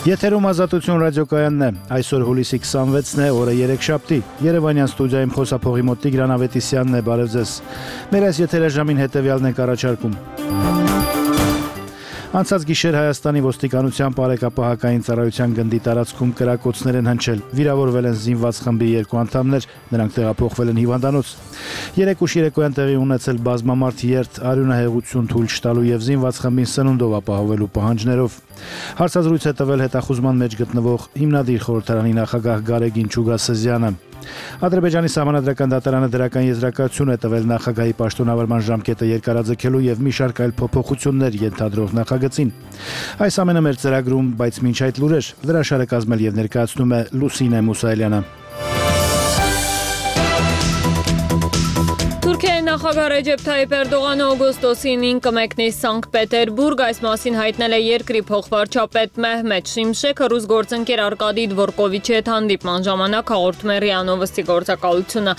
Եթերում Ազատություն ռադիոկայանն է, այսօր հուլիսի 26-ն է, օրը երեքշաբթի, Երևանյան ստուդիայում խոսափողի մոտ Տիգրան Ավետիսյանն է, բարև ձեզ։ Մեր այս եթերաժամին հետևյալն ենք առաջարկում։ Անցած գիշեր Հայաստանի ոստիկանության բարեկապահական ծառայության գնդի տարածքում կրակոցներ են հնչել, վիրավորվել են զինված խմբի 2 անդամներ, նրանք տեղափոխվել են հիվանդանոց։ 3 ուշ երեկոյան տեղի ունեցել բազմամարդ երթ, արյունահեղություն թույլ չտալու եւ զինված խմբին սնունդով ապահովելու պահանջներով։ Հարցազրույց է տվել հետախուզման մեջ գտնվող հիմնադիր խորհրդարանի նախագահ Գարեգին Չուգասեզյանը։ Ադրբեջանի սահմանադրական դատարանը դրական եզրակացություն է տվել նախագահի պաշտոնավարման ժամկետը երկարաձգելու եւ մի շարք այլ փոփոխություններ ենթադրող նախագծին։ Այս ամենը մեր ծրագրում, բայց մինչ այդ լուրեր, լրաշարը կազմել եւ ներկայացնում է Լուսինե Մուսայելյանը։ Թուրքիայի նախագահ Ռեջեփ Թայիփ Էրդողանը օգոստոսին 9 կմեկնի Սանկտ Պետերբուրգ, այս մասին հայտնել է երկրի փոխվարչապետ Մեհմեդ Շիմշեքը ռուս գործընկեր Արկադի Դվորկովիչի հետ հանդիպման ժամանակ հաղորդում է ՌԻԱ Նովոստի գործակալությունը։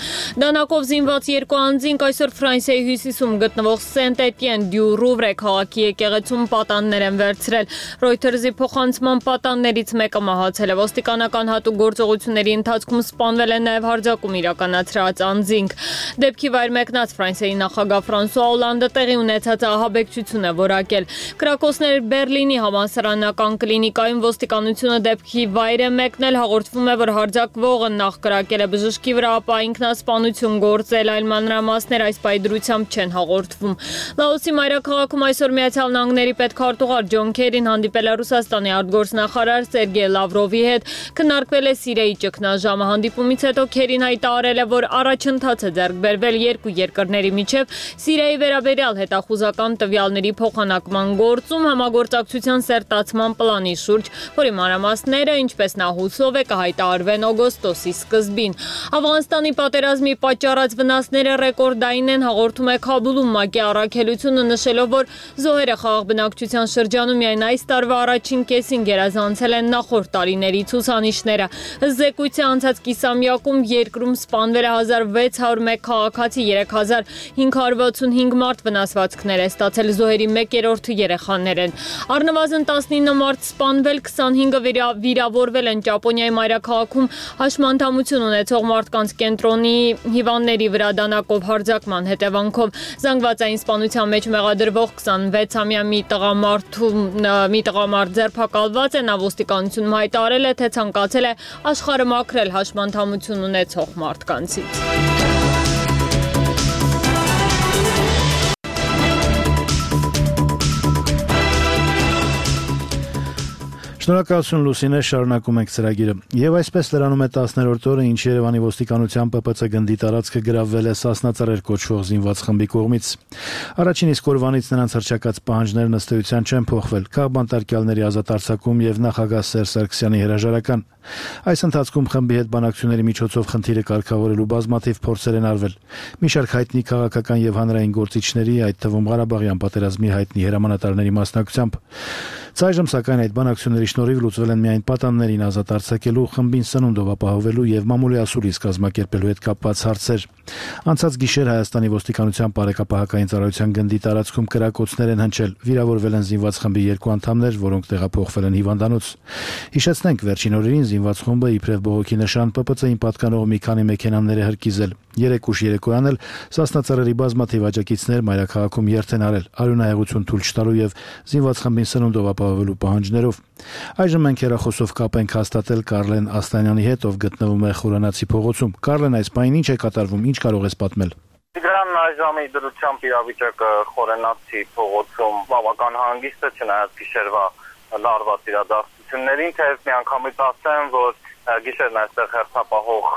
Դանակով զինված 2 անձինք այսօր Ֆրանսիայի հյուսիսում գտնվող Սենտ-Էտիեն դյու Ռուվրե քաղաքի եկեղեցում պատաններ են վերցրել։ Reuters-ի փոխանցման պատաններից մեկը մահացել է։ Ոստիկանական հատուկ գործողությունների ընթացքում սպանվել է նաև հարձակում իրականացրած անձինք։ Դեպքի վայր մեկնած Ֆրանսիայի նախագահ Ֆրանսուଆ Օլանդը տեղի ունեցած ահաբեկչություն է որակել։ Կրակոցներ Բերլինի համալսարանական կլինիկայում ոստիկանությունը դեպքի վայր է մեկնել, հաղորդվում է, որ հարձակվողը նախ կրակել է բժշկի վրա, ապա ինքնասպանություն գործել, այլ մանրամասներ այս պայդրությամբ չեն հաղորդվում։ Լաոսի մայրաքաղաքում այսօր Միացյալ Նահանգների պետքարտուղար Ջոն Քերին հանդիպել է Ռուսաստանի արտգործնախարար Սերգեյ Լավրովի հետ, քննարկվել է Սիրիայի ճգնաժամը։ Հանդիպումից հետո Քերին հայտարարել է, որ առաջընթաց է ձեռք բերվել երկու երկրների միջև Սիրիայի վերաբերյալ հետախուզական տվյալների փոխանակման գործում համագործակցության սերտացման պլանի շուրջ, որի մանրամասները, ինչպես նա հուսով է, կհայտարարվեն օգոստոսի սկզբին։ Աֆղանստանի պատերազմի պատճառած վնասները ռեկորդային են, հաղորդում է Քաբուլում ՄԱԿ-ի առաքելությունը, նշելով, որ զոհերը խաղաղ բնակչության շրջանում միայն այս տարվա առաջին կեսին գերազանցել են նախորդ տարիների ցուցանիշները։ Ըստ զեկույցի անցած կիսամյակում երկրում սպանվել է 1601 քաղաքացի, 3565 մարդ վնասվածքներ է ստացել, զոհերի 1/3-ը երեխաներ են։ Առնվազն 19 մարդ սպանվել, 25-ը վիրավորվել են Ճապոնիայի մայրաքաղաքում հաշմանդամություն ունեցող մարդկանց կենտրոնի հիվանդների վրա դանակով հարձակման հետևանքով։ Զանգվածային սպանության մեջ մեղադրվող 26-ամյա մի տղամարդ ձերբակալված է, նա ոստիկանությունում հայտարարել է, թե ցանկացել է աշխարհը մաքրել հաշմանդամություն ունեցող մարդկանցից։ Շնորհակալություն Լուսինե, շարունակում ենք ծրագիրը։ Եվ այսպես լրանում է 10-րդ օրը, ինչ Երևանի ոստիկանության ՊՊՑ գնդի տարածքը գրավվել է Սասնա Ծռեր կոչվող զինված խմբի կողմից։ Առաջին իսկ օրվանից նրանց հռչակած պահանջներն ըստ էության չեն փոխվել։ Քաղբանտարկյալների ազատ արձակում եւ նախագահ Սերժ Սարգսյանի հրաժարական։ Այս ընթացքում խմբի հետ բանակցությունների միջոցով խնդիրը կարգավորելու բազմաթիվ փորձեր են արվել։ Մի շարք հայտնի քաղաքական եւ հանրային գործիչների, այդ թվում Ղարաբաղյան պատերազմի հայտնի հրամանատարների մասնակցությամբ։ Այժմ սակայն այդ բանակցությունների շնորհիվ լուծվել են միայն պատաններին ազատ արձակելու, խմբին սնունդով ապահովելու եւ մամուլի ասուլիս կազմակերպելու հետ կապված հարցեր։ Անցած գիշեր Հայաստանի ոստիկանության բարեկապահական ծառայության գնդի տարածքում կրակոցներ են հնչել, վիրավորվել են զինված խմբի 2 անդամներ, որոնք տեղափոխվել են հիվանդանոց։ Հիշեցնենք, վերջին օրերին զինված խումբը իբրև բողոքի նշան ՊՊՑ-ին պատկանող մի քանի մեքենաներ է հրկիզել։ 3 ուշ երեկոյան էլ Սասնա Ծռերի բազմաթիվ աջակիցներ մայրաքաղաքում երթ են արել, արյունահեղություն թույլ չտալու եւ զինված խմբին սնունդով ապահովելու պահանջներով։ Այժմ մենք հեռախոսով կապ ենք հաստատել Կարլեն Աստանյանի հետ, ով գտնվում է Խորանացի փողոցում։ Կարլեն, այս պահին ինչ է կատարվում, ինչ կարող ես պատմել։ Տիգրան, այժմի դրությամբ իրավիճակը Խորանացի փողոցում բավական հանգիստ է, չնայած գիշերվա լարված իրադարձություններին, թեև միանգամից ասեմ, որ գիշերն այստեղ հերթապահող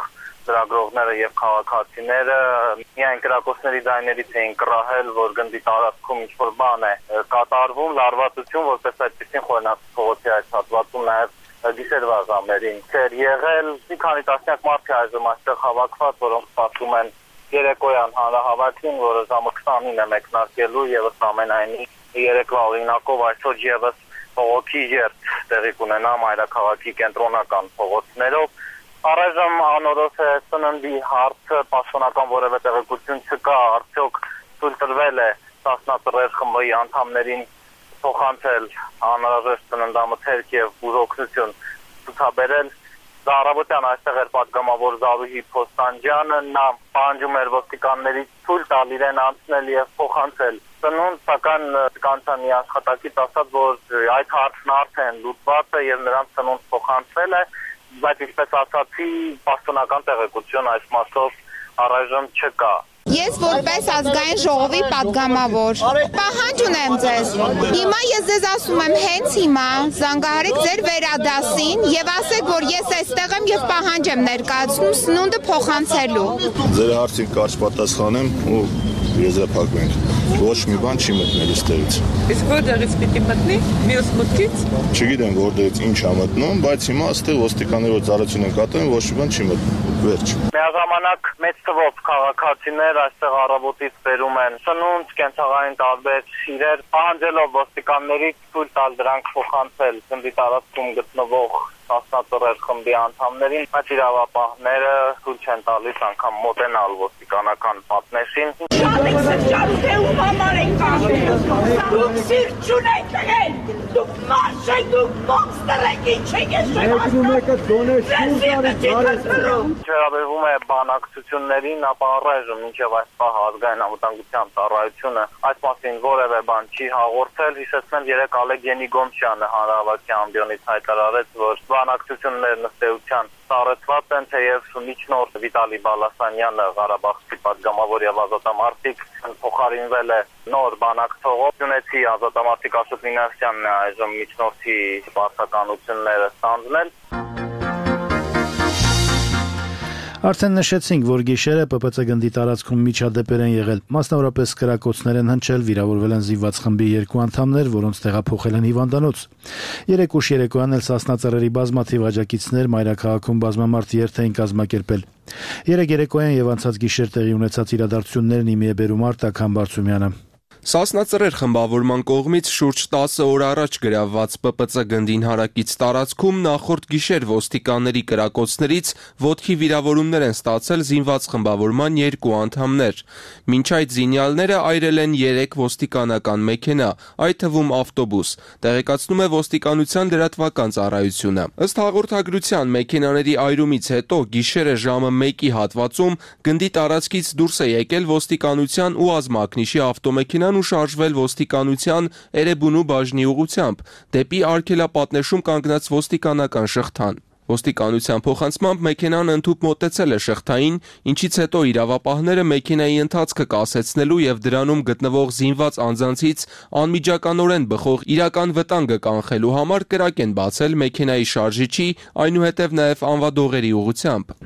ծրագրողները եւ քաղաքացիները միայն կրակոցների ձայներից էին կռահել, որ գնդի տարածքում ինչ-որ բան է կատարվում, լարվածություն, որպես այդպեսին Խորանացի փողոցի այս հատվածում նաեւ գիշերվա ժամերին չէր եղել։ Մի քանի տասնյակ մարդ է այժմ այստեղ հավաքված, որոնք սպասում են երեկոյան հանրահավաքին, որը ժամը 29 է մեկնարկելու եւ ըստ ամենայնի երեկվա օրինակով այսօր եւս փողոցի երթ տեղի կունենա մայրաքաղաքի կենտրոնական փողոցներով։ Առայժմ անորոշ է սննդի հարցը, պաշտոնական որևէ տեղեկություն չկա, արդյոք թույլ տրվել է Սասնա Ծռեր խմբի անդամներին փոխանցել անհրաժեշտ ծննդամթերք եւ բուժօգնություն ցուցաբերել։ Առավոտյան այստեղ էր պատգամավոր Զարուհի Փոստանջյանը, նա պահանջում էր ոստիկաններից թույլ տալ իրեն անցնել եւ փոխանցել ծնունդ, սակայն կանցանի աշխատակից ասաց, որ այդ հարցն արդեն լուծված է եւ նրանց ծնունդ փոխանցվել է, բայց ինչպես ասացի, պաշտոնական տեղեկություն այս մասով առայժմ չկա։ Ես որպես ազգային ժողովի պատգամավոր պահանջ ունեմ ձեզ։ Հիմա ես ձեզ ասում եմ, հենց հիմա զանգահարեք ձեր վերադասին եւ ասեք, որ ես այստեղ եմ եւ պահանջ եմ ներկայացնում սնունդը փոխանցելու։ Ձեր հարցին կարճ պատասխանեմ ու եզրափակվենք։ Ոչ մի բան չի մտնել այստեղից։ Իսկ որտեղից պիտի մտնի? Մյուս մուտքից։ Չգիտեմ որտեղից ինչ է մտնում, բայց հիմա այստեղ ոստիկանները ծառայություն են կատարում, ոչ մի բան չի մտնում։ Վերջ։ Միաժամանակ մեծ թվով քաղաքացիներ այստեղ առավոտից բերում են սնունդ, կենցաղային տարբեր իրեր, պահանջելով ոստիկաններից թույլ տալ դրանք փոխանցել գնդի տարածքում գտնվող սասնածռեր խմբի անդամներին, բայց իրավապահները թույլ չեն տալիս անգամ մոտենալ ոստիկանական պատնեշին։ Ում համար եք կաշել, դուք սիրտ չունեք տղել, դուք մարշ եք, դուք մոնստր եք, ինչ եք ես Վերաբերվում է բանակցություններին, ապա առայժմ մինչև այս պահը ազգային անվտանգության ծառայությունը այս մասին որևէ բան չի հաղորդել։ Հիշեցնեմ, երեկ Ալեգենի Գոմշյանը հանրահավաքի ամբիոնից հայտարարեց, որ բանակցություններն ըստ էության սառեցված են, թեև միջնորդ Վիտալի Բալասանյանը Ղարաբաղի պատգամավոր եւ ազատամարտիկ փոխարինվել է նոր բանակցողով։ Գյունեցի ազատամարտիկ Աշոտ Մինասյանն է այժմ միջնորդի պարտականությունները ստանձնել։ Արդեն նշեցինք, որ գիշերը ՊՊՑ գնդի տարածքում միջադեպեր են եղել, մասնավորապես կրակոցներ են հնչել, վիրավորվել են զինված խմբի 2 անդամներ, որոնց տեղափոխել են հիվանդանոց։ 3 ուշ երեկոյան էլ Սասնածռերի բազմաթիվ աջակիցներ մայրաքաղաքում բազմամարդ երթ էին կազմակերպել։ Երեկ երեկոյան եւ անցած գիշեր տեղի ունեցած իրադարձություններն իմի է բերում Արտակ Համբարձումյանը։ Սասնածռեր խմբավորման կողմից շուրջ 10 օր առաջ գրավված ՊՊՑ գնդին հարակից տարածքում նախորդ գիշեր ոստիկանների կրակոցներից ոտքի վիրավորումներ են ստացել զինված խմբավորման 2 անդամներ։ Մինչ այդ զինյալները այրել են 3 ոստիկանական մեքենա, այդ թվում ավտոբուս, տեղեկացնում է ոստիկանության լրատվական ծառայությունը։ Ըստ հաղորդագրության մեքենաների այրումից հետո գիշերը ժամը 1-ի հատվածում գնդի տարածքից դուրս է եկել ոստիկանության ու ազմակնիշի ավտոմեքենան ու շարժվել ոստիկանության Էրեբունու բաժնի ուղղությամբ դեպի արգելապատնեշում կանգնած ոստիկանական շղթան։ Ոստիկանության փոխանցմամբ մեքենան ընդհուպ մոտեցել է շղթային, ինչից հետո իրավապահները մեքենայի ընթացքը կասեցնելու եւ դրանում գտնվող զինված անձանցից անմիջականորեն բխող իրական վտանգը կանխելու համար կրակ են բացել մեքենայի շարժիչի, այնուհետև նաեւ անվադողերի ուղղությամբ։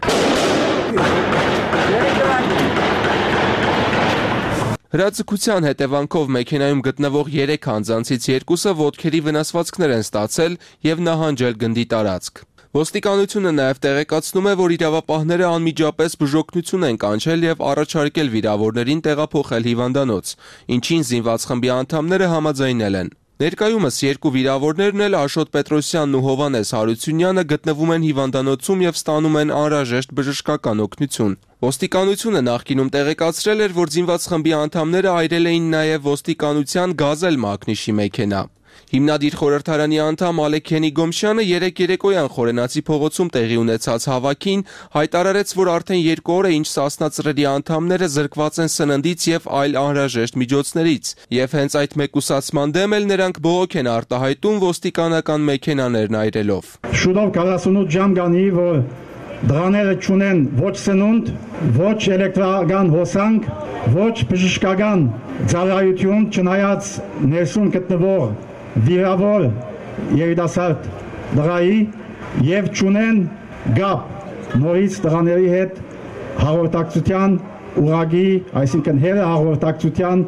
Հրաձգության հետևանքով մեքենայում գտնվող 3 անձանցից 2-ը ոտքերի վնասվածքներ են ստացել եւ նահանջել գնդի տարածք։ Ոստիկանությունը նաեւ տեղեկացնում է, որ իրավապահները անմիջապես բուժօգնություն են կանչել եւ առաջարկել վիրավորներին տեղափոխել հիվանդանոց, ինչին զինված խմբի անդամները համաձայնել են։ Ներկայումս 2 վիրավորներն էլ Աշոտ Պետրոսյանն ու Հովանես Հարությունյանը գտնվում են հիվանդանոցում եւ ստանում են անհրաժեշտ բժշկական օգնություն։ Ոստիկանությունը նախկինում տեղեկացրել էր, որ զինված խմբի անդամները այրել էին նաեւ ոստիկանության Գազել մակնիշի մեքենա։ Հիմնադիր խորհրդարանի անդամ Ալեքենի Գոմշյանը երեկ երեկոյան Խորենացի փողոցում տեղի ունեցած հավաքին հայտարարեց, որ արդեն 2 օր է ինչ Սասնածռերի անդամները զրկված են սննդից եւ այլ անհրաժեշտ միջոցներից, եւ հենց այդ մեկուսացման դեմ էլ նրանք բողոք են արտահայտում ոստիկանական մեքենաներն այրելով։ Շուտով 48 ժամ գանի, որ դրաները չունեն ոչ սնունդ, ոչ էլեկտրական հոսանք, ոչ բժշկական ծառայություն, չնայած ներսում գտնվող վիրավոր երիտասարդ դղայի եւ ճունեն գապ նորից դղաների հետ հաղորդակցության ուղագի, այսինքն հերը հաղորդակցության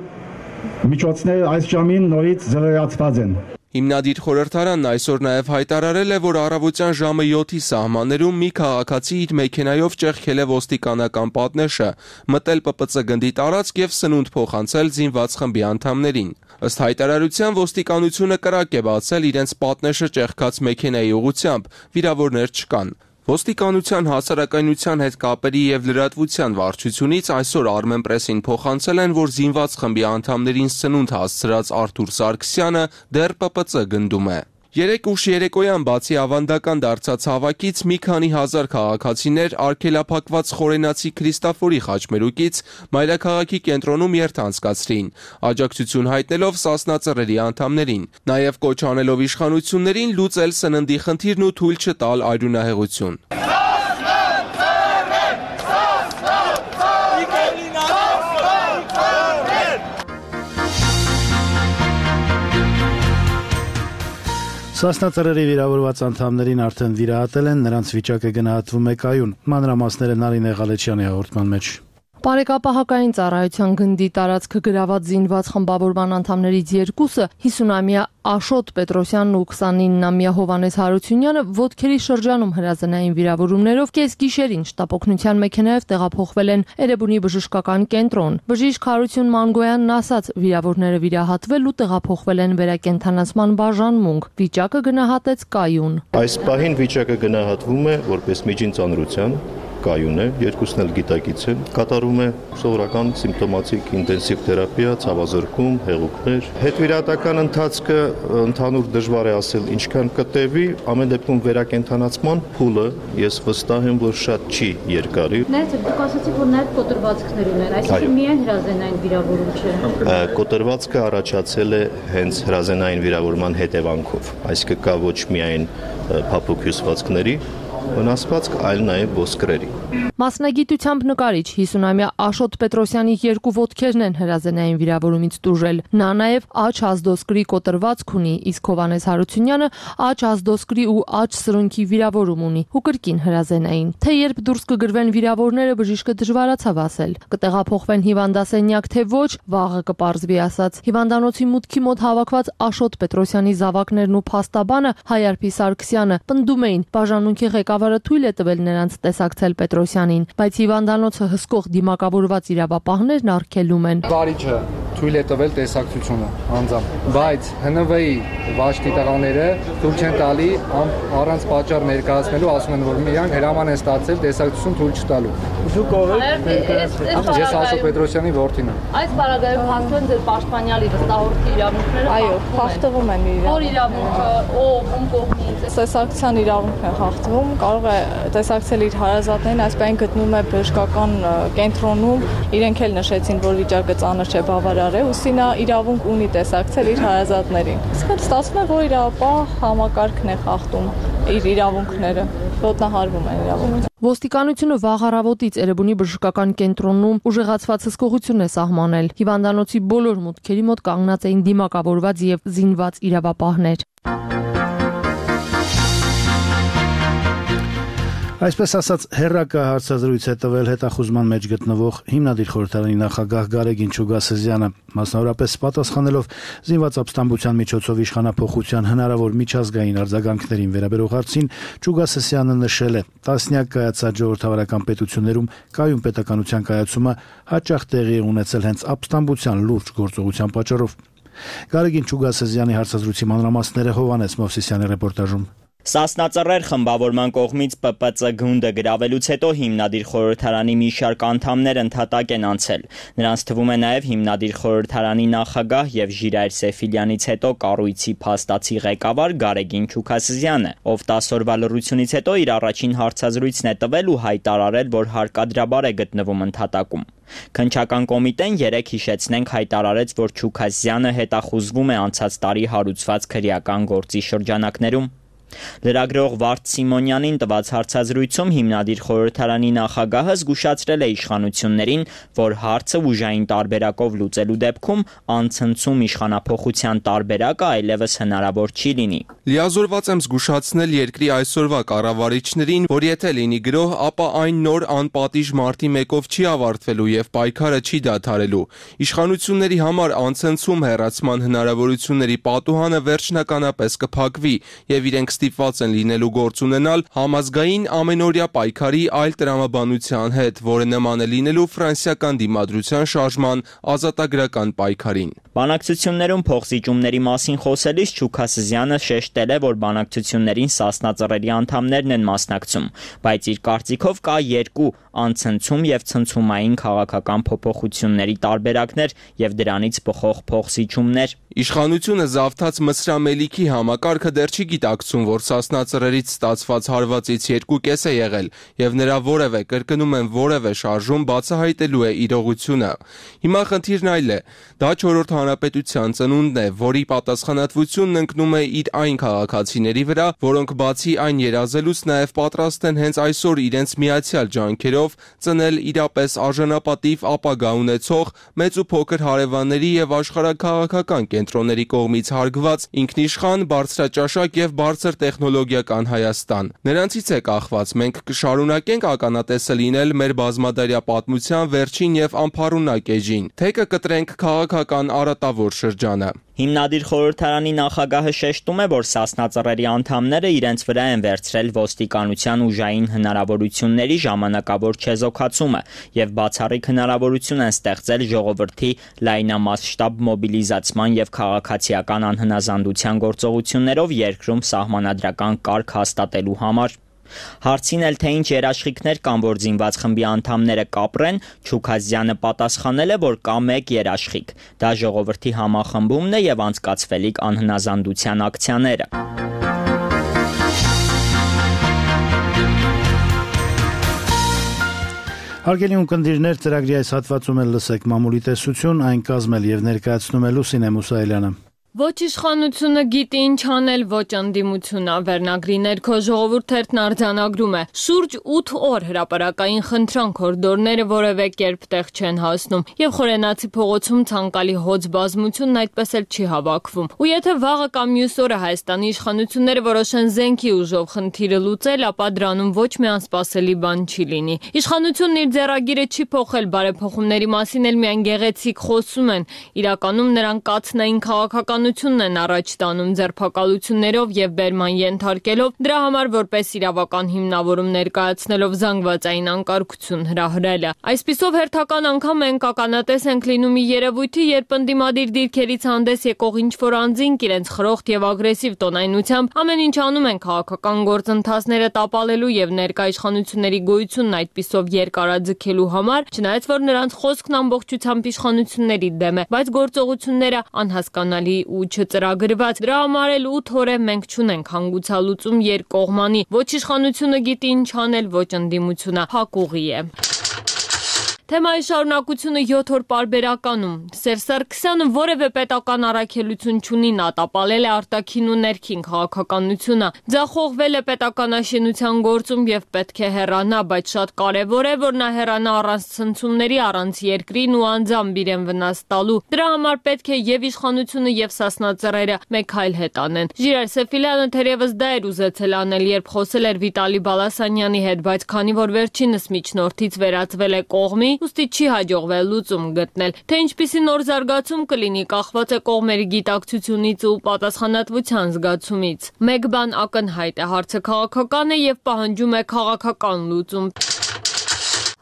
միջոցները այս ժամին նորից զրոյացված են։ Հիմնադիր խորհրդարանն այսօր նաև հայտարարել է, որ առավոտյան ժամը 7-ի սահմաններում մի քաղաքացի իր մեքենայով ճեղքել է ոստիկանական պատնեշը, մտել ՊՊՑ գնդի տարածք եւ սնունդ փոխանցել զինված խմբի անդամներին։ Ըստ հայտարարության ոստիկանությունը կրակ է բացել իրենց պատնեշը ճեղքած մեքենայի ուղղությամբ, վիրավորներ չկան։ Ոստիկանության հասարակայնության հետ կապերի եւ լրատվության վարչությունից այսօր Armenpress-ին փոխանցել են, որ զինված խմբի անդամներին սնունդ հասցրած Արթուր Սարգսյանը դեռ ՊՊԾ գնդում է։ 3 ուշ երեկոյան բացի ավանդական դարձած հավաքից մի քանի հազար քաղաքացիներ արգելափակված խորենացի Քրիստաֆորի խաչմերուկից մայրաքաղաքի կենտրոնում երթ անցկացրին, աջակցություն հայտնելով Սասնա Ծռերի անդամներին, նաև կոչ անելով իշխանություններին լուծել սննդի խնդիրն ու թույլ չտալ արյունահեղություն։ Սասնա Ծռերի վիրավորված անդամներին արդեն վիրահատել են, նրանց վիճակը գնահատվում է կայուն։ Մանրամասները Նարինե Ղալեչյանի հաղորդման մեջ։ Բարեկապահակային ծառայության գնդի տարածքը գրաված զինված խմբավորման անդամներից երկուսը 50-ամյա Աշոտ Պետրոսյանն ու 29-ամյա Հովանես Հարությունյանը ոտքերի շրջանում հրազենային վիրավորումներով կես գիշերին շտապօգնության մեքենայով տեղափոխվել են Էրեբունի բժշկական կենտրոն։ Բժիշկ Հարություն Մանգոյանն ասաց, վիրավորները վիրահատվել ու տեղափոխվել են վերակենդանացման բաժանմունք։ Վիճակը գնահատեց կայուն։ Այս պահին վիճակը գնահատվում է որպես միջին ծանրության, կայուն է, երկուսն էլ գիտակից են, կատարում է սովորական սիմպտոմատիկ ինտենսիվ թերապիա, ցավազրկում, հեղուկներ։ Հետվիրահատական ընթացքը ընդհանուր դժվար է ասել ինչքան կտևի, ամեն դեպքում վերակենդանացման փուլը ես վստահ եմ, որ շատ չի երկարի։ Ներս դուք ասացիք, որ նաև կոտրվածքներ ունեն, այսինքն միայն հրազենային վիրավորում չէ։ Կոտրվածքը առաջացել է հենց հրազենային վիրավորման հետևանքով, այսինքն կա ոչ միայն փափուկ հյուսվածքների վնասվածք, այլ նաև ոսկրերի։ Մասնագիտությամբ նկարիչ 50-ամյա Աշոտ Պետրոսյանի երկու ոտքերն են հրազենային վիրավորումից տուժել։ Նա նաև աջ ազդոսկրի կոտրվածք ունի, իսկ Հովանես Հարությունյանը աջ ազդոսկրի ու աջ սրունքի վիրավորում ունի ու կրկին հրազենային։ Թե երբ դուրս կգրվեն վիրավորները, բժիշկը դժվարացավ ասել։ Կտեղափոխվեն հիվանդասենյակ, թե ոչ, վաղը կպարզվի, ասաց։ Հիվանդանոցի մուտքի մոտ հավաքված Աշոտ Պետրոսյանի զավակներն ու փաստաբանը Հայարփի Սարգսյանը պնդում էին, բաժանմունքի ղեկավարը թույլ է տվել նրանց տեսակցել Պետրոսյանին, բայց հիվանդանոցը հսկող դիմակավորված իրավապահներն արգելում են։ Վարիչը թույլ է տվել տեսակցությունը անձամբ, բայց ՀՆՎ-ի վաշտի տղաները թույլ չեն տալի առանց պատճառ ներկայացնելու, ասում են, որ միայն հրաման են ստացել տեսակցություն թույլ չտալու։ Դուք ով եք? Ես Աշոտ Պետրոսյանի որդին եմ։ Այս բaragայում հաստատեն ձեր պաշտպանյալի վստահորդի իրավունքները։ Այո, խախտվում են իրավունքները։ Որ իրավունքը, ում կողմից։ Տեսակցության իրավունքն է խախտվում, կարող է տեսակցել իր հարազատներին, այս պայն գտնվում է բժշկական կենտրոնում, իրենք էլ նշեցին, որ վիճակը ծանր չէ, բավարար է, ուստի նա իրավունք ունի տեսակցել իր հարազատներին։ Իսկ ստացվում է, որ իրավապահ համակարգն է խախտում իր իրավունքները, ոտնահարվում են իրավունքները։ Ոստիկանությունը վաղ առավոտից Էրեբունի բժշկական կենտրոնում ուժեղացված հսկողություն է սահմանել։ Հիվանդանոցի բոլոր մուտքերի մոտ կանգնած էին դիմակավորված եւ զինված իրավապահներ։ Այսպես ասած, հերրակա հարցազրույց է տվել հետախուզման մեջ գտնվող հիմնադիր խորհրդարանի նախագահ Գարեգին Չուգասեզյանը, մասնավորապես պատասխանելով զինված ապստամբության միջոցով իշխանափոխության հնարավոր միջազգային արձագանքներին վերաբերող հարցին, Չուգասեզյանը նշել է, տասնյակ կայացած ժողովրդավարական պետություններում կայուն պետականության կայացումը հաճախ տեղի է ունեցել հենց ապստամբության լուրջ գործողության պատճառով։ Գարեգին Չուգասեզյանի հարցազրույցի մանրամասները Հովանես Մովսիսյանի ռեպորտաժում։ Սասնա Ծռեր խմբավորման կողմից ՊՊԾ գունդը գրավելուց հետո հիմնադիր խորհրդարանի մի շարք անդամներ ընդհատակ են անցել։ Նրանց թվում է նաև հիմնադիր խորհրդարանի նախագահ եւ Ժիրայր Սեֆիլյանից հետո կառույցի փաստացի ղեկավար Գարեգին Չուգասեզյանը, ով 10 օրվա լռությունից հետո իր առաջին հարցազրույցն է տվել ու հայտարարել, որ հարկադրաբար է գտնվում ընդհատակում։ Քննչական կոմիտեն 3 հիշեցնենք հայտարարեց, որ Չուգասեզյանը հետախուզվում է անցած տարի հարուցված քրեական գործի շրջանակներում։ Լրագրող Վարդ Սիմոնյանին տված հարցազրույցում հիմնադիր խորհրդարանի նախագահը զգուշացրել է իշխանություններին, որ հարցը ուժային տարբերակով լուծելու դեպքում անցնցում իշխանափոխության տարբերակը այլևս հնարավոր չի լինի։ Լիազորված եմ զգուշացնել երկրի այսօրվա կառավարիչներին, որ եթե լինի գրոհ, ապա այն նոր անպատիժ մարտի 1-ով չի ավարտվելու եւ պայքարը չի դադարելու։ Իշխանությունների համար անցնցում հեռացման հնարավորությունների պատուհանը վերջնականապես կփակվի եւ իրենք ստիպված են լինելու գործ ունենալ համազգային ամենօրյա պայքարի այլ տրամաբանության հետ, որը նման է լինելու ֆրանսիական դիմադրության շարժման ազատագրական պայքարին։ Բանակցություններում փոխզիջումների մասին խոսելիս Չուքա Սզյանը շեշտել է, որ բանակցություններին Սասնա ծռերի անդամներն են մասնակցում, բայց իր կարծիքով կա երկու անցնցում եւ ցնցումային քաղաքական փոփոխությունների տարբերակներ եւ դրանից բխող փոխզիջումներ։ Իշխանությունը զավթած մսրամելիքի համակարգը դեռ չի գիտակցում, որ Սասնա ծռերից ստացված հարվածից 2/5 է եղել եւ նրա որևէ կրկնում են որևէ շարժում բացահայտելու է իրողությունը։ Հիմա խնդիրն այլ է։ Դա 4-րդ հանրապետության ծնունդն է, որի պատասխանատվությունն ընկնում է իր այն քաղաքացիների վրա, որոնք բացի այն երազելուց նաեւ պատրաստ են հենց այսօր իրենց միացյալ ջանքերով ծնել իրապես արժանապատիվ ապագա ունեցող մեծ ու փոքր հարևանների եւ աշխարհաքաղաքական կենտրոնների կողմից հարգված ինքնիշխան, բարձրաճաշակ եւ բարձր տեխնոլոգիական Հայաստան։ Նրանցից է կախված, մենք կշարունակենք ականատեսը լինել մեր բազմադարյա պատմության վերջին եւ անփառունակ էջին, թե կկտրենք քաղաքական արատավոր շրջանը։ Հիմնադիր խորհրդարանի նախագահը շեշտում է, որ Սասնա ծռերի անդամները իրենց վրա են վերցրել ոստիկանության ուժային հնարավորությունների ժամանակավոր չեզոքացումը եւ բացառիկ հնարավորություն են ստեղծել ժողովրդի լայնամասշտաբ մոբիլիզացման եւ քաղաքացիական անհնազանդության գործողություններով երկրում սահմանադրական կարգ հաստատելու համար։ Հարցին էլ թե ինչ երաշխիքներ կան, որ զինված խմբի անդամները կապրեն, Չուքազյանը պատասխանել է, որ կա մեկ երաշխիք։ Դա ժողովրդի համախմբումն է եւ անցկացվելիք անհնազանդության ակցիաները։ Հարգելի ունկնդիրներ, ծրագրի այս հատվածում էլ լսեք մամուլի տեսություն, այն կազմել եւ ներկայացնում է Լուսինե Մուսայելյանը։ Ոչ իշխանությունը գիտի ինչ անել, ոչ ընդդիմությունը, վերնագրի ներքո ժողովուրդ թերթն արձանագրում է։ Շուրջ 8 օր հրապարակային խնդրանք հորդորները որևէ կերպ տեղ չեն հասնում, եւ Խորենացի փողոցում ցանկալի հոծ բազմությունն այդպես էլ չի հավաքվում։ Ու եթե վաղը կամ մյուս օրը Հայաստանի իշխանությունները որոշեն զենքի ուժով խնդիրը լուծել, ապա դրանում ոչ մի անսպասելի բան չի լինի։ Իշխանությունն իր ձեռագիրը չի փոխել, բարեփոխումների մասին էլ միայն գեղեցիկ խոսում են։ Իրականում նրանք կացնային քաղաքական են առաջ տանում ձերբակալություններով եւ բերման ենթարկելով, դրա համար որպես իրավական հիմնավորում ներկայացնելով զանգվածային անկարգություն հրահրելը։ Այսպիսով հերթական անգամ մենք ականատես ենք լինում մի երևույթի, երբ ընդդիմադիր դիրքերից հանդես եկող ինչ-որ անձինք իրենց խրոխտ եւ ագրեսիվ տոնայնությամբ ամեն ինչ անում են քաղաքական գործընթացները տապալելու եւ ներկայ իշխանությունների գոյությունն այդպիսով երկարաձգելու համար, չնայած որ նրանց խոսքն ամբողջությամբ իշխանությունների դեմ է, բայց գործողությունները անհասկանալի ու չծրագրված։ Դրա համար էլ 8 օր է մենք չունենք հանգուցալուծում երկկողմանի։ Ոչ իշխանությունը գիտի ինչ անել, ոչ ընդդիմությունը հակուղի է։ Թեմայի շարունակությունը 7 օր պարբերականում։ Սերժ Սարգսյանը որևէ պետական առաքելություն չունի, նա տապալել է արտաքին ու ներքին քաղաքականությունը, ձախողվել է պետականաշինության գործում եւ պետք է հեռանա, բայց շատ կարեւոր է, որ նա հեռանա առանց ցնցումների, առանց երկրին ու անձամբ իրեն վնաս տալու։ Դրա համար պետք է եւ իշխանությունը եւ Սասնա ծռերը մեկ այլ հետ անեն։ Ժիրայր Սեֆիլյանը թերևս դա էր ուզեցել անել, երբ խոսել էր Վիտալի Բալասանյանի հետ, բայց քանի որ վերջինս միջնորդից վերածվել է կողմի, ուստի չի հաջողվել լուծում գտնել, թե ինչպիսի նոր զարգացում կլինի կախված է կողմերի գիտակցությունից ու պատասխանատվության զգացումից։ Մեկ բան ակնհայտ է, հարցը քաղաքական է եւ պահանջում է քաղաքական լուծում։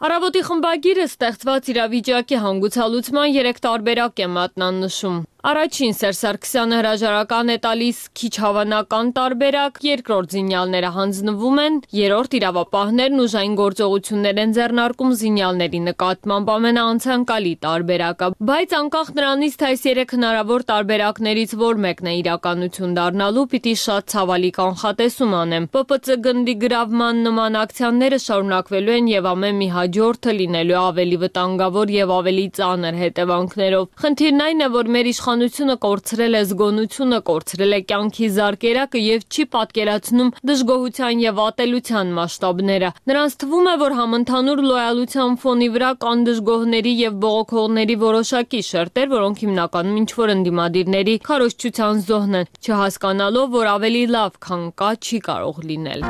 Առավոտի խմբագիրը ստեղծված իրավիճակի հանգուցալուծման 3 տարբերակ է մատնանշում։ Առաջին Սերժ Սարգսյանը հրաժարական է տալիս քիչ հավանական տարբերակ, երկրորդ զինյալները հանձնվում են, երրորդ իրավապահներն ուժային գործողություններ են ձեռնարկում զինյալների նկատմամբ ամենաանցանկալի տարբերակը, բայց անկախ նրանից, թե այս 3 հնարավոր տարբերակներից որ մեկն է իրականություն դառնալու, պիտի շատ ցավալի կանխատեսում անեմ։ ՊՊՑ գնդի գրավման նման ակցիաները շարունակվելու են եւ ամեն մի հաջորդը լինելու ավելի վտանգավոր եւ ավելի ծանր հետևանքներով։ Խնդիրն այն է, որ մեր իշխանությունը կորցրել է զգոնությունը, կորցրել է կյանքի զարկերակը եւ չի պատկերացնում դժգոհության եւ ատելության մասշտաբները։ Նրանց թվում է, որ համընդհանուր լոյալության ֆոնի վրա կան դժգոհների եւ բողոքողների որոշակի շերտեր, որոնք հիմնականում ինչ-որ ընդդիմադիրների քարոզչության զոհն են, չհասկանալով, որ ավելի լավ, քան կա, չի կարող լինել։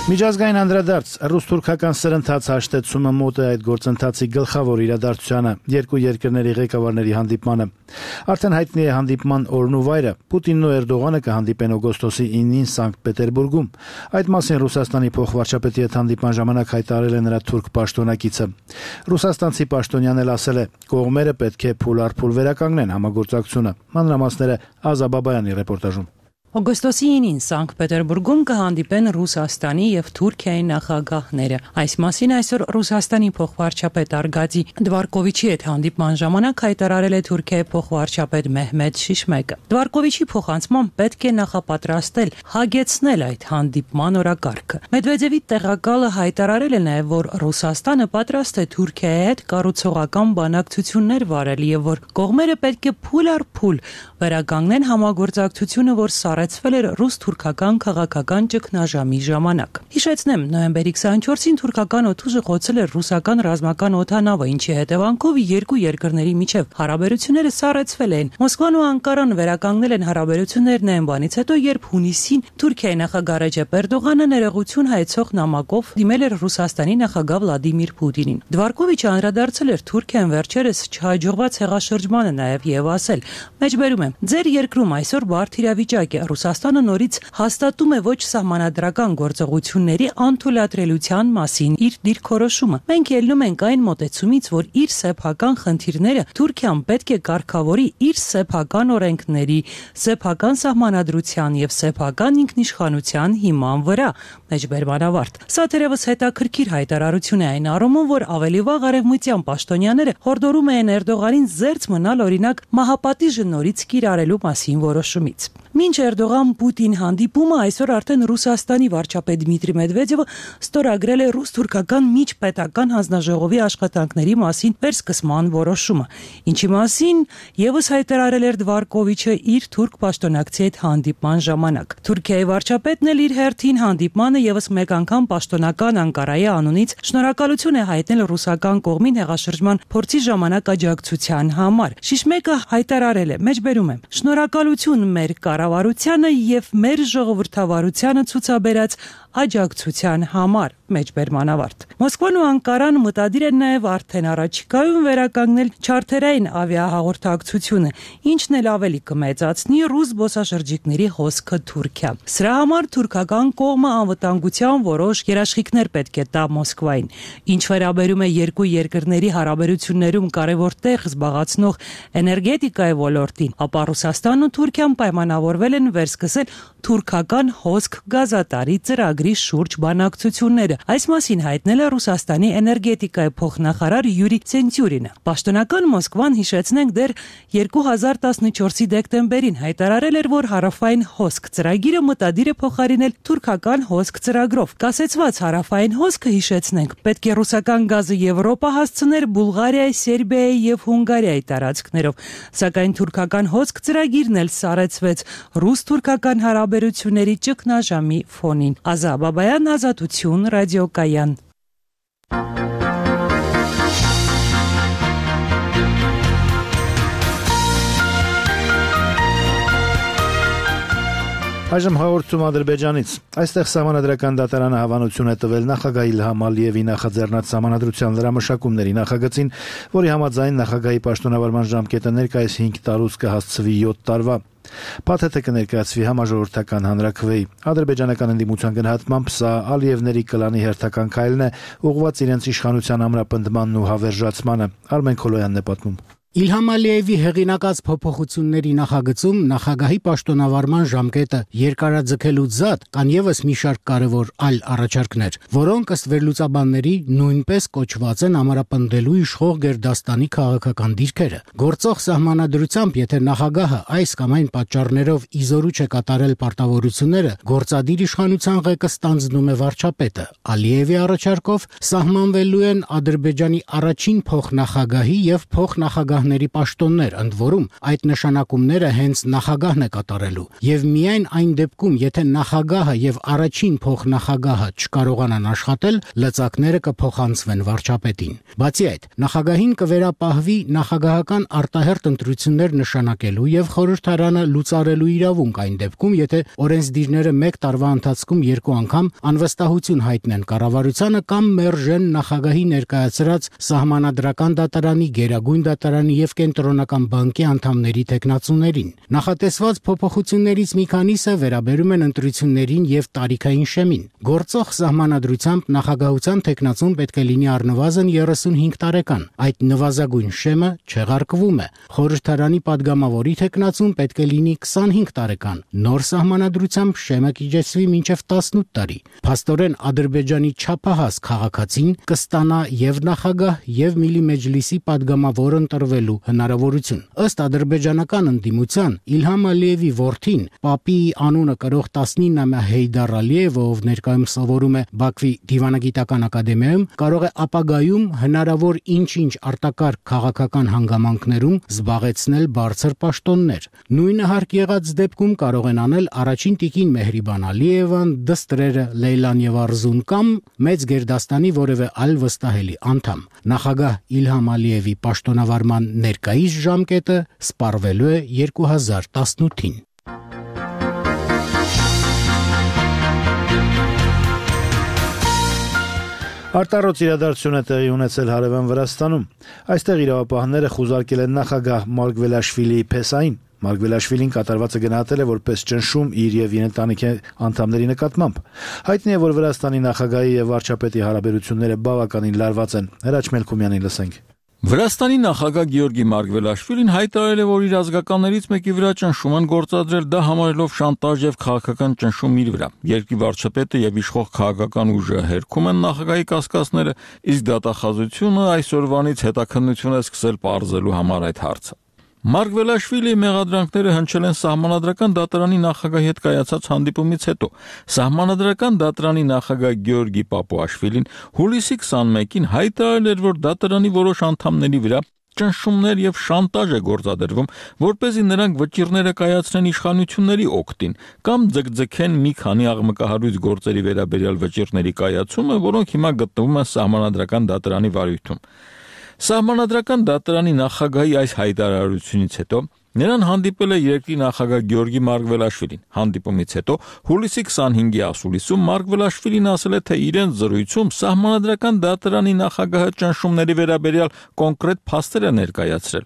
Միջազգային անդրադարձ ռուս-թուրքական սրընթաց հաշտեցումը մոտ է այդ գործընթացի գլխավոր իրադարձությանը, երկու երկրների ղեկավարների հանդիպմանը։ Արդեն հայտնի է հանդիպման օրն ու վայրը։ Պուտինն ու Էրդողանը կհանդիպեն օգոստոսի 9-ին Սանկտ Պետերբուրգում։ Այդ մասին Ռուսաստանի փոխվարչապետի հետ հանդիպման ժամանակ հայտարարել է նրա թուրք պաշտոնակիցը։ Ռուսաստանցի պաշտոնյան էլ ասել է, կողմերը պետք է փուլ առ փուլ վերականգնեն համագործակցությունը։ Մանրամասները Ազա Բաբայանի ռեպորտաժում։ Օգոստոսի 9-ին Սանկտ Պետերբուրգում կհանդիպեն Ռուսաստանի եւ Թուրքիայի նախագահները։ Այս մասին այսօր Ռուսաստանի փոխվարչապետ Արգադի Դվարկովիչի հետ հանդիպման ժամանակ հայտարարել է Թուրքիայի փոխվարչապետ Մեհմեդ Շիշմեկը։ Դվարկովիչի փոխանցմամբ պետք է նախապատրաստել, հագեցնել այդ հանդիպման օրակարգը։ Մեդվեդևի տեղակալը հայտարարել է նաեւ, որ Ռուսաստանը պատրաստ է Թուրքիայի հետ կառուցողական բանակցություններ վարել եւ որ կողմերը պետք է փուլ առ փուլ վերականգնեն համագործակցությունը, որ սառեցվել էր ռուս-թուրքական քաղաքական ճգնաժամի ժամանակ։ Հիշեցնեմ, նոյեմբերի 24-ին թուրքական օդուժը խոցել էր ռուսական ռազմական օդանավը, ինչի հետևանքով երկու երկրների միջև հարաբերությունները սառեցվել են։ Մոսկվան ու Անկարան վերականգնել են հարաբերություններն այն բանից հետո, երբ հունիսին Թուրքիայի նախագահ Ռեջեփ Էրդողանը ներողություն հայցող նամակով դիմել էր Ռուսաստանի նախագահ Վլադիմիր Պուտինին։ Դվարկովիչը անդրադարձել էր Թուրքիան վերջերս չհաջողված հեղաշրջմանը նաև եւ ասել. «Մեջբերում եմ, ձեր երկրում այսօր բարդ իրավիճակ է, Ռուսաստանը նորից հաստատում է ոչ սահմանադրական գործողությունների անթույլատրելիության մասին իր դիրքորոշումը։ Մենք ելնում ենք այն մոտեցումից, որ իր սեփական խնդիրները Թուրքիան պետք է կարգավորի իր սեփական օրենքների, սեփական սահմանադրության եւ սեփական ինքնիշխանության հիման վրա»։ Մեջբերման ավարտ։ Սա թերևս հետաքրքիր հայտարարություն է այն առումով, որ ավելի վաղ արևմտյան պաշտոնյաները հորդորում էին Էրդողանին զերծ մնալ օրինակ մահապատիժը նորից կիրառելու մասին որոշումից։ Մինչ Էրդողան-Պուտին հանդիպումը այսօր արդեն Ռուսաստանի վարչապետ Դմիտրի Մեդվեդևը ստորագրել է ռուս-թուրքական միջպետական հանձնաժողովի աշխատանքների մասին վերսկսման որոշումը, ինչի մասին եւս հայտարարել էր Դվարկովիչը իր թուրք պաշտոնակցի հետ հանդիպման ժամանակ։ Թուրքիայի վարչապետն էլ իր հերթին հանդիպմանը եւս մեկ անգամ պաշտոնական Անկարայի անունից շնորհակալություն է հայտնել ռուսական կողմին հեղաշրջման փորձի ժամանակ աջակցության համար։ Շիշմեկը հայտարարել է. «Մեջբերում եմ, շնորհակալություն մեր կառավարությանը եւ մեր ժողովրդավարությանը ցուցաբերած աջակցության համար»։ Մեջբերման ավարտ։ Մոսկվան ու Անկարան մտադիր են նաև արդեն առաջիկայում վերականգնել չարթերային ավիահաղորդակցությունը, ինչն էլ ավելի կմեծացնի ռուս զբոսաշրջիկների հոսքը Թուրքիա։ Սրա համար թուրքական կողմը անվտանգության որոշ երաշխիքներ պետք է տա Մոսկվային։ Ինչ վերաբերում է երկու երկրների հարաբերություններում կարևոր տեղ զբաղեցնող էներգետիկայի ոլորտին, ապա Ռուսաստանն ու Թուրքիան պայմանավորվել են վերսկսել թուրքական հոսք գազատարի ծրագրի շուրջ բանակցությունները։ Այս մասին հայտնել է Ռուսաստանի էներգետիկայի փոխնախարար Յուրի Ցենտյուրինը։ Պաշտոնական Մոսկվան, հիշեցնենք, դեռ 2014-ի դեկտեմբերին հայտարարել էր, որ հարավային հոսք ծրագիրը մտադիր է փոխարինել թուրքական հոսք ծրագրով։ Կասեցված հարավային հոսքը, հիշեցնենք, պետք է ռուսական գազը Եվրոպա հասցներ Բուլղարիայի, Սերբիայի եւ Հունգարիայի տարածքներով։ Սակայն թուրքական հոսք ծրագիրն էլ սառեցվեց ռուս-թուրքական հարաբերությունների ճգնաժամի ֆոնին։ Ազա Բաբայան, Ազատություն, ռադիոկայան։ Այժմ հաղորդում Ադրբեջանից։ Այստեղ սահմանադրական դատարանը հավանություն է տվել նախագահ Իլհամ Ալիևի նախաձեռնած սահմանադրության լրամշակումների նախագծին, որի համաձայն նախագահի պաշտոնավարման ժամկետը ներկայիս 5 տարուց կհասցվի 7 տարվա։ Փաթեթը կներկայացվի համաժողովրդական հանրաքվեի։ Ադրբեջանական ընդդիմության գնահատմամբ սա Ալիևների կլանի հերթական քայլն է, ուղղված իրենց իշխանության ամրապնդմանն ու հավերժացմանը։ Արմեն Քոլոյանն է պատմում։ Իլհամ Ալիևի հեղինակած փոփոխությունների նախագծում նախագահի պաշտոնավարման ժամկետը երկարաձգելուց զատ կան եւս մի շարք կարևոր այլ առաջարկներ, որոնք ըստ վերլուծաբանների նույնպես կոչված են ամրապնդելու իշխող Գերդաստանի քաղաքական դիրքերը։ Գործող սահմանադրությամբ, եթե նախագահը այս կամ այն պատճառներով իզորու չէ կատարել պարտավորությունները, գործադիր իշխանության ղեկը ստանձնում է վարչապետը։ Ալիևի առաջարկով սահմանվելու են Ադրբեջանի առաջին փոխնախագահի եւ փոխնախագահ նախագահների պաշտոններ, ընդ որում այդ նշանակումները հենց նախագահն է կատարելու, եւ միայն այն դեպքում, եթե նախագահը եւ առաջին փոխնախագահը չկարողանան աշխատել, լծակները կփոխանցվեն վարչապետին։ Բացի այդ, նախագահին կվերապահվի նախագահական արտահերթ ընտրություններ նշանակելու եւ խորհրդարանը լուծարելու իրավունք այն դեպքում, եթե օրենսդիրները 1 տարվա ընթացքում 2 անգամ անվստահություն հայտնեն կառավարությանը կամ մերժեն նախագահի ներկայացրած սահմանադրական դատարանի, գերագույն դատարանի եւ կենտրոնական բանկի անդամների թեկնածուներին։ Նախատեսված փոփոխություններից մի քանիսը վերաբերում են ընտրություններին եւ տարիքային շեմին։ Գործող սահմանադրությամբ նախագահության թեկնածուն պետք է լինի առնվազն 35 տարեկան։ Այդ նվազագույն շեմը չեղարկվում է։ Խորհրդարանի падգամավորի թեկնածուն պետք է լինի 25 տարեկան։ Նոր սահմանադրությամբ շեմը կիջեցվի մինչև 18 տարի։ Փաստորեն Ադրբեջանի չափահաս քաղաքացին կստանա եւ նախագահ եւ Միլի Մեջլիսի падգամավոր ընտրվելու հնարավորություն։ Ըստ ադրբեջանական ընդդիմության Իլհամ Ալիևի որդին, Պապի անունը կրող 19-ամյա Հեյդար Ալիևը, ով ներկայում սովորում է Բաքվի դիվանագիտական ակադեմիայում, կարող է ապագայում հնարավոր ինչ-ինչ արտակարգ քաղաքական հանգամանքներում զբաղեցնել բարձր պաշտոններ։ Նույնը հարկ եղած դեպքում կարող են անել առաջին տիկին Մեհրիբան Ալիևան, դստրերը Լեյլան եւ Արզուն կամ մեծ գերդաստանի որևէ այլ վստահելի անդամ։ Նախագահ Իլհամ Ալիևի պաշտոնավարման ներկայիս ժամկետը սպառվելու է 2018-ին։ Արտառոց իրադարձություն է տեղի ունեցել հարևան Վրաստանում։ Այստեղ իրավապահները խուզարկել են նախագահ Մարգվելաշվիլիի փեսային։ Մարգվելաշվիլին կատարվածը գնահատել է որպես ճնշում իր եւ իր ընտանիքի անդամների նկատմամբ։ Հայտնի է, որ Վրաստանի նախագահի եւ վարչապետի հարաբերությունները բավականին լարված են։ Հրաչ Մելքումյանին լսենք։ Վրաստանի նախագահ Գեորգի Մարգվելաշվիլին հայտարարել է, որ իր ազգականներից մեկի վրա ճնշում են գործադրել, դա համարելով շանտաժ եւ քաղաքական ճնշում իր վրա։ Երկրի վարչապետը եւ իշխող քաղաքական ուժը հերքում են նախագահի կասկածները, իսկ դատախազությունը այսօրվանից հետաքննություն է սկսել պարզելու համար այդ հարցը։ Մարգվելաշվիլիի մեղադրանքները հնչել են սահմանադրական դատարանի նախագահի հետ կայացած հանդիպումից հետո։ Սահմանադրական դատարանի նախագահ Գեորգի Պապուաշվիլին հուլիսի 21-ին հայտարարել էր, որ դատարանի որոշ անդամների վրա ճնշումներ եւ շանտաժ է գործադրվում, որպեսզի նրանք վճիռները կայացնեն իշխանությունների օգտին կամ ձգձգեն մի քանի աղմկահարույց գործերի վերաբերյալ վճիռների կայացումը, որոնք հիմա գտնվում են սահմանադրական դատարանի վարույթում։ Սահմանադրական դատարանի նախագահի այս հայտարարությունից հետո նրան հանդիպել է երկրի նախագահ Գեորգի Մարգվելաշվիլին։ Հանդիպումից հետո հուլիսի 25-ի ասուլիսում Մարգվելաշվիլին ասել է, թե իրենց զրույցում սահմանադրական դատարանի նախագահը ճնշումների վերաբերյալ կոնկրետ փաստեր է ներկայացրել։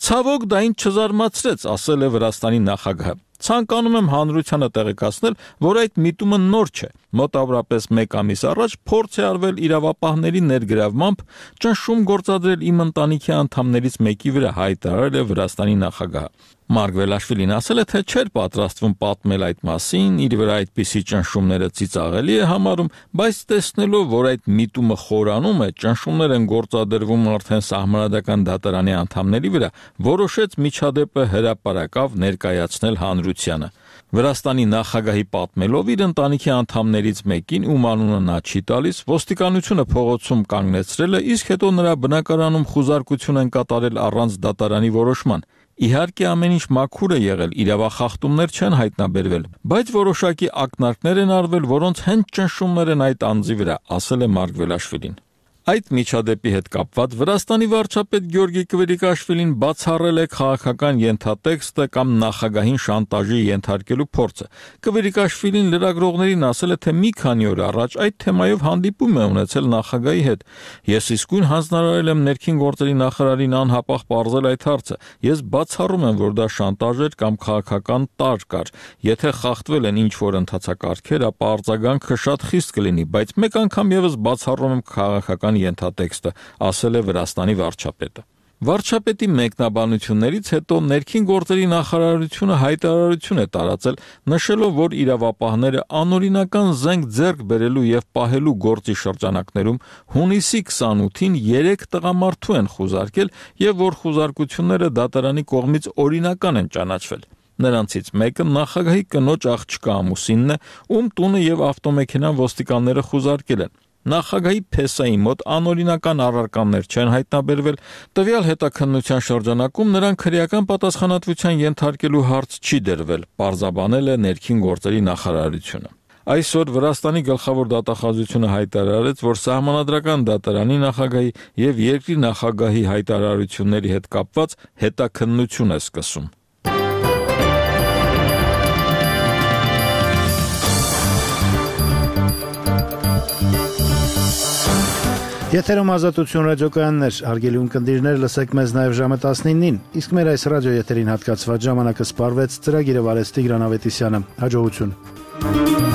Ցավոք դա ինձ չզարմացրեց, ասել է Վրաստանի նախագահը։ Ցանկանում եմ հանրությանը տեղեկացնել, որ այդ միտումը նոր չէ։ Մոտավորապես 1 ամիս առաջ փորձ է արվել իրավապահների ներգրավմամբ ճնշում գործադրել իմ ընտանիքի անդամներից մեկի վրա, հայտարարել է Վրաստանի նախագահը։ Մարգվելաշվիլին ասել է, թե չէր պատրաստվում պատմել այդ մասին, իր վրա այդպիսի ճնշումները ծիծաղելի է համարում, բայց տեսնելով, որ այդ միտումը խորանում է, ճնշումներ են գործադրվում արդեն սահմանադրական դատարանի անդամների վրա, որոշեց միջադեպը հրապարակավ ներկայացնել հանրությանը։ Վրաստանի նախագահի պատմելով իր ընտանիքի անդամներից մեկին, ում անունը նա չի տալիս, ոստիկանությունը փողոցում կանգնեցրել է, իսկ հետո նրա բնակարանում խուզարկություն են կատարել առանց դատարանի որոշման։ Իհարկե ամեն ինչ մաքուր է եղել, իրավախախտումներ չեն հայտնաբերվել, բայց որոշակի ակնարկներ են արվել, որոնց հենց ճնշումներ են այդ անձի վրա, ասել է Մարգվելաշվիլին։ Այդ միջադեպի հետ կապված Վրաստանի վարչապետ Գեորգի Կվերիկաշվիլին բացառել է քաղաքական ենթատեքստը կամ նախագահին շանտաժի ենթարկելու փորձը։ Կվերիկաշվիլին լրագրողներին ասել է, թե մի քանի օր առաջ այդ թեմայով հանդիպում է ունեցել նախագահի հետ։ Ես իսկույն հանձնարարել եմ ներքին գործերի նախարարին անհապաղ պարզել այդ հարցը։ Ես բացառում եմ, որ դա շանտաժ էր կամ քաղաքական տարր կար։ Եթե խախտվել են ինչ-որ ընթացակարգեր, ապա արձագանքը շատ խիստ կլինի, բայց մեկ անգամ եւս բացառում եմ քաղաքական ենթատեքստը, ասել է Վրաստանի վարչապետը։ Վարչապետի մեկնաբանություններից հետո ներքին գործերի նախարարությունը հայտարարություն է տարածել, նշելով, որ իրավապահները անօրինական զենք ձեռք բերելու եւ պահելու գործի շրջանակներում հունիսի 28-ին 3 տղամարդու են խուզարկել եւ որ խուզարկությունները դատարանի կողմից օրինական են ճանաչվել։ Նրանցից մեկը նախագահի կնոջ աղջկա ամուսինն է, ում տունը եւ ավտոմեքենան ոստիկանները խուզարկել են։ նախագահի փեսայի մոտ անօրինական առարկաներ չեն հայտնաբերվել, տվյալ հետաքննության շրջանակում նրան քրեական պատասխանատվության ենթարկելու հարց չի դրվել, պարզաբանել է ներքին գործերի նախարարությունը։ Այսօր Վրաստանի գլխավոր դատախազությունը հայտարարեց, որ Սահմանադրական դատարանի նախագահի եւ երկրի նախագահի հայտարարությունների հետ կապված հետաքննություն է սկսում։ Եթերում Ազատություն ռադիոկայաններ, հարգելի ունկնդիրներ, լսեք մեզ նաև ժամը 19-ին, իսկ մեր այս ռադիոեթերին հատկացված ժամանակը սպառվեց, ծրագիրը վարեց Տիգրան Ավետիսյանը, հաջողություն։